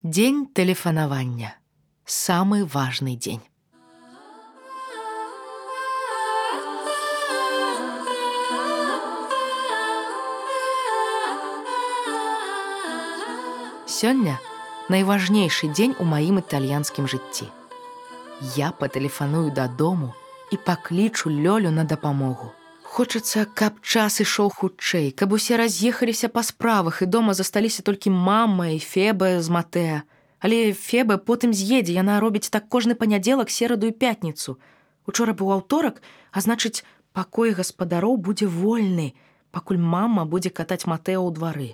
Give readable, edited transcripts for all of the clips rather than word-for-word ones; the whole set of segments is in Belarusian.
Дзень тэлефанавання. Самы важны дзень. Сёння найважнейшы дзень у маім італьянскім жыцці. Я патэлефаную дадому і паклічу Лёлю на дапамогу. Хочацца, каб час ішоў хутчэй, каб усе раз'ехаліся па справах і дома засталіся толькі мама і Феба з Матэа. Але Феба потым з'едзе, яна робіць так кожны панядзелак, сераду і пятніцу. Учора быў аўторак, а значыць, пакой гаспадароў будзе вольны, пакуль мама будзе катаць Матэа ў двары.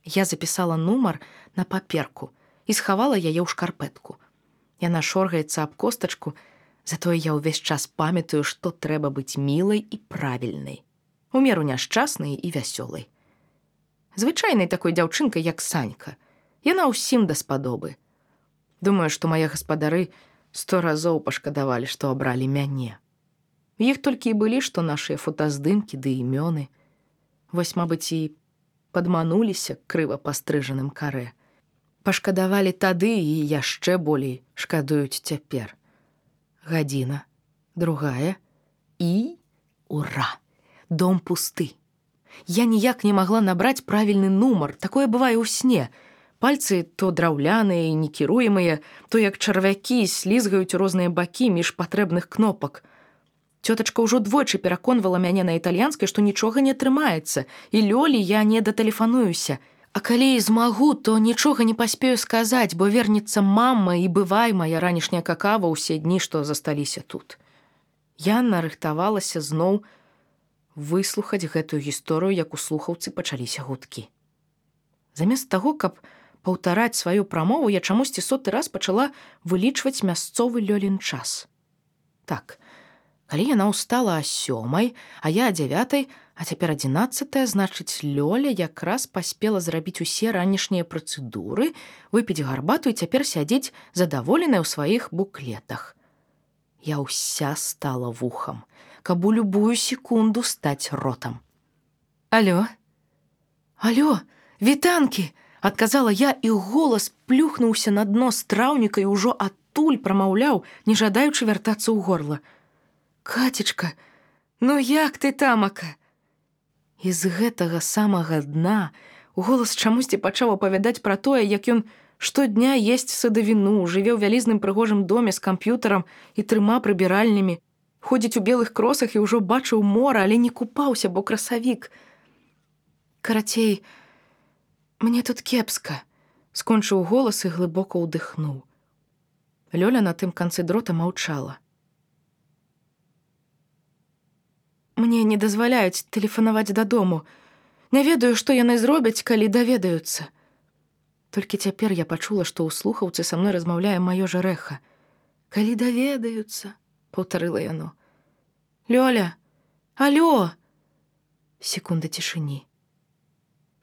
Я запісала нумар на паперку і схавала яе ў шкарпэтку. Яна шоргаецца аб костачку, затое я ўвесь час памятаю, што трэба быць мілай і правільнай, у меру няшчаснай і вясёлай. Звычайнай такой дзяўчынкай, як Санька. Яна ўсім даспадобы. Думаю, што мае гаспадары 100 разоў пашкадавалі, што абралі мяне. Іх толькі і былі, што нашыя фотаздымкі ды імёны. Вось, мабыць, і падмануліся крыва пастрыжаным карэ. Пашкадавалі тады і яшчэ болей шкадуюць цяпер. Гадзіна, другая і ура! Дом пусты. Я ніяк не магла набраць правільны нумар, такое бывае ў сне. Пальцы то драўляныя і некіруемыя, то як чарвякі слізгаюць розныя бакі між патрэбных кнопак. Цётачка ўжо двойчы пераконвала мяне на італьянскай, што нічога не атрымаецца, і Лёлі я не датэлефануюся. А калі і змагу, то нічога не паспею сказаць, бо вернецца мама і бывай мая ранішняя какава ўсе дні, што засталіся тут. Я нарыхтавалася зноў выслухаць гэтую гісторыю, як у слухаўцы пачаліся гудкі. Замест таго, каб паўтараць сваю прамову, я чамусьці 100 раз пачала вылічваць мясцовы Лёлін час. Так, калі яна ўстала о 7, а я о 9, а цяпер 11, значыць, Лёля якраз паспела зрабіць усе ранішнія працэдуры, выпіць гарбату і цяпер сядзець задаволеная ў сваіх буклетах. Я ўся стала вухам, каб у любую секунду стаць ротам. Алё? Алё, вітанкі! Адказала я, і голас плюхнуўся на дно страўніка і ўжо адтуль прамаўляў, не жадаючы вяртацца ў горла. Кацечка, ну як ты, тамака? І з гэтага самага дна голас чамусьці пачаў апавядаць пра тое, як ён штодня есць садавіну, жыве ў вялізным прыгожым доме з камп'ютарам і 3 прыбіральнямі, ходзіць у белых кросах і ўжо бачыў мора, але не купаўся, бо красавік. Карацей, мне тут кепска, скончыў голас і глыбока ўдыхнуў. Лёля на тым канцы дрота маўчала. Мне не дазваляюць тэлефанаваць дадому. Не ведаю, што яны зробяць, калі даведаюцца. Толькі цяпер я пачула, што ў слухаўцы са мной размаўляе маё жарэха. Калі даведаюцца, паўтарыла яно. Лёля, алё! Секунда цішыні.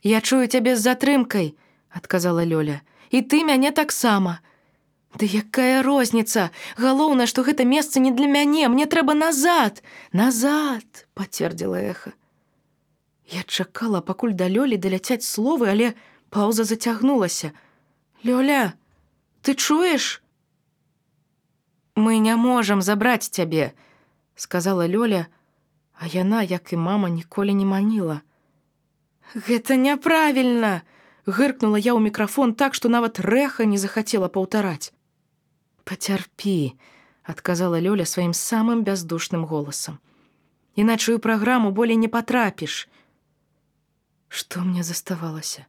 Я чую цябе з затрымкай, адказала Лёля. І ты мяне таксама. Ды якая розніца? Галоўнае, што гэта месца не для мяне, мне трэба назад. Назад, пацвердзіла эха. Я чакала, пакуль да Лёлі даляцяць словы, але паўза зацягнулася. Лёля, ты чуеш? Мы не можам забраць цябе, сказала Лёля, а яна, як і мама, ніколі не маніла. Гэта няправільна, гыркнула я ў мікрафон так, што нават рэха не захацела паўтараць. Пацярпі, адказала Лёля сваім самым бяздушным голасам. Іначай у праграму болей не патрапіш. Што мне заставалася?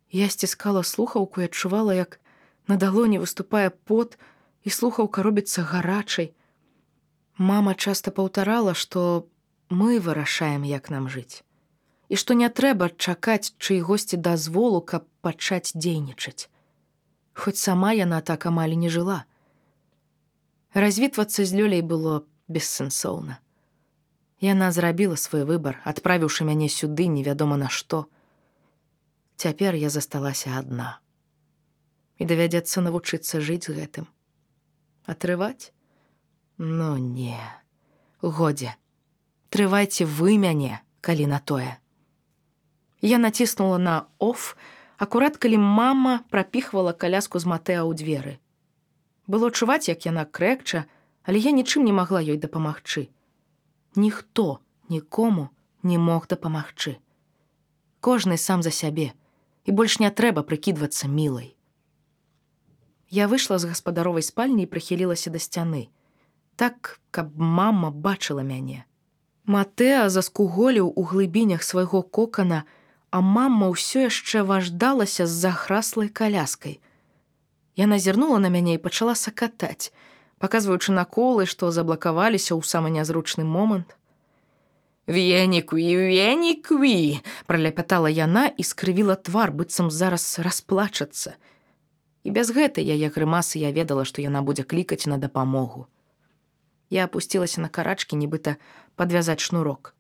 Я сціскала слухаўку і адчувала, як на далоні выступае пот, і слухаўка робіцца гарачай. Мама часта паўтарала, што мы вырашаем, як нам жыць. І што не трэба чакаць чыйгосьці дазволу, каб пачаць дзейнічаць. Хоць сама яна так амаль не жыла. Развітвацца з Лёляй было бессэнсоўна. Яна зрабіла свой выбар, адправіўшы мяне сюды невядома на што. Цяпер я засталася адна. І давядзецца навучыцца жыць з гэтым. Атрываць? Ну не. Годзе. Трывайце вы мяне, калі на тое. Я націснула на «оф», акурат калі мама прапіхвала каляску з Матэа ў дзверы. Было чуваць, як яна крэкча, але я нічым не магла ёй дапамагчы. Ніхто нікому не мог дапамагчы. Кожны сам за сябе, і больш не трэба прыкідвацца мілай. Я выйшла з гаспадаровай спальні і прыхілілася да сцяны, так, каб мама бачыла мяне. Матэа заскуголіў у глыбінях свайго кокана, а мама ўсё яшчэ важдалася з захраслай каляскай. Яна зірнула на мяне і пачала сакатаць, паказваючы на колы, што заблакаваліся ў самы нязручны момант. «Венікві, праляпятала яна і скрывіла твар, быццам зараз расплачацца. І без гэтай яе грымасы я ведала, што яна будзе клікаць на дапамогу. Я апусцілася на карачкі, нібыта падвязаць шнурок.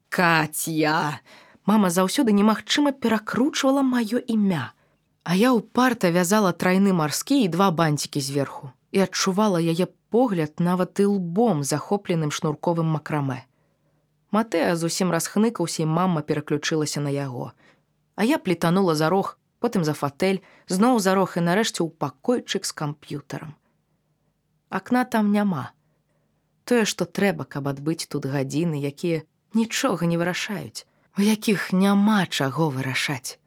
«Каця!» Мама заўсёды немагчыма перакручвала маё імя. А я ўпарта вязала трайны марскі і 2 банцікі зверху і адчувала яе погляд нават і лбом, захопленым шнурковым макрамэ. Матэа зусім расхныкаўся, і мама пераключылася на яго. А я плітанула за рог, потым за фатэль, зноў за рог і нарэшце ў пакойчык з камп'ютарам. Акна там няма. Тое, што трэба, каб адбыць тут гадзіны, якія нічога не вырашаюць, у якіх няма чаго вырашаць.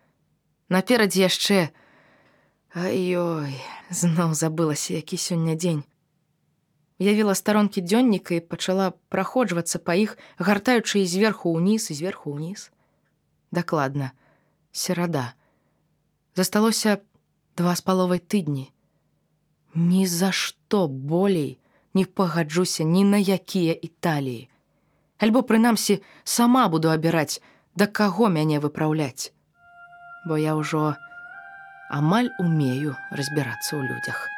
Наперадзе яшчэ... Ай-ой, зноў забылася, які сёння дзень. Уявіла старонкі дзённіка і пачала праходжвацца па іх, гартаючы і зверху ўніз, і зверху ўніз. Дакладна, серада. Засталося 2,5 тыдні. Ні за што болей не пагаджуся ні на якія Італіі. Альбо, прынамсі, сама буду абіраць, да каго мяне выпраўляць. Бо я ўжо амаль умею разбірацца ў людзях.